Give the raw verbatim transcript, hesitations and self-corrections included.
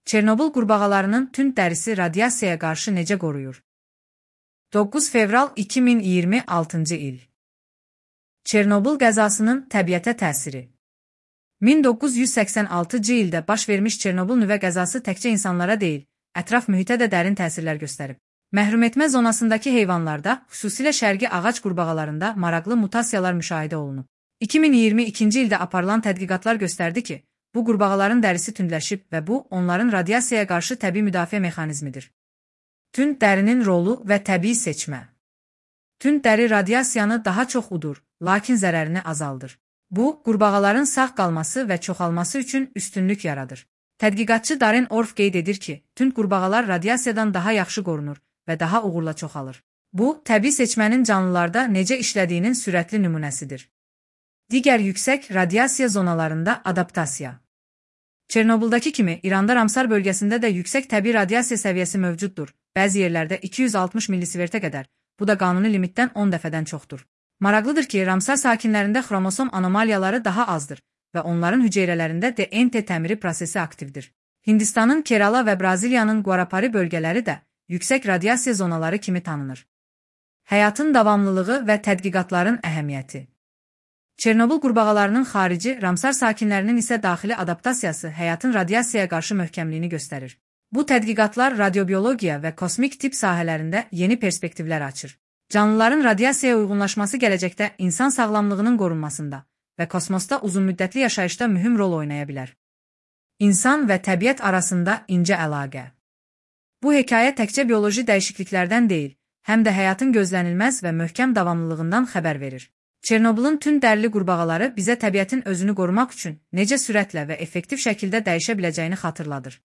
Çernobıl qurbağalarının tünd dərisi radiasiyaya qarşı necə qoruyur? doqquz fevral iki min iyirmi altıncı il. Çernobıl qəzasının təbiətə təsiri. min doqquz yüz səksən altıncı ildə baş vermiş Çernobıl nüvə qəzası təkcə insanlara deyil, ətraf mühitə də dərin təsirlər göstərib. Məhrumetmə zonasındakı heyvanlarda, xüsusilə şərqi ağac qurbağalarında maraqlı mutasiyalar müşahidə olunub. iki min iyirmi ikinci ildə aparılan tədqiqatlar göstərdi ki, bu qurbağaların dərisi tündləşib və bu, onların radiasiyaya qarşı təbii müdafiə mexanizmidir. Tünd dərinin rolu və təbii seçmə. Tünd dəri radiasiyanı daha çox udur, lakin zərərini azaldır. Bu, qurbağaların sağ qalması və çoxalması üçün üstünlük yaradır. Tədqiqatçı Darren Orff qeyd edir ki, tünd qurbağalar radiasiyadan daha yaxşı qorunur və daha uğurla çoxalır. Bu, təbii seçmənin canlılarda necə işlədiyinin sürətli nümunəsidir. Digər yüksək radiasiya zonalarında adaptasiya. Çernobuldakı kimi, İranda Ramsar bölgəsində də yüksək təbii radiasiya səviyyəsi mövcuddur. Bəzi yerlərdə iki yüz altmış millisivertə qədər, bu da qanuni limitdən on dəfədən çoxdur. Maraqlıdır ki, Ramsar sakinlərində xromosom anomaliyaları daha azdır və onların hüceyrələrində D N T təmiri prosesi aktivdir. Hindistanın Kerala və Braziliyanın Guarapari bölgələri də yüksək radiasiya zonaları kimi tanınır. Həyatın davamlılığı və tədqiqatların əhəmiyyəti. Çernobıl qurbağalarının xarici, Ramsar sakinlərinin isə daxili adaptasiyası həyatın radiasiyaya qarşı möhkəmliyini göstərir. Bu tədqiqatlar radiobiologiya və kosmik tip sahələrində yeni perspektivlər açır. Canlıların radiasiyaya uyğunlaşması gələcəkdə insan sağlamlığının qorunmasında və kosmosda uzunmüddətli yaşayışda mühüm rol oynaya bilər. İnsan və təbiət arasında incə əlaqə. Bu hekayə təkcə bioloji dəyişikliklərdən deyil, həm də həyatın gözlənilməz və möhkəm davamlılığından xəbər verir. Çernobılın tünd dərili qurbağaları bizə təbiətin özünü qorumaq üçün necə sürətlə və effektiv şəkildə dəyişə biləcəyini xatırladır.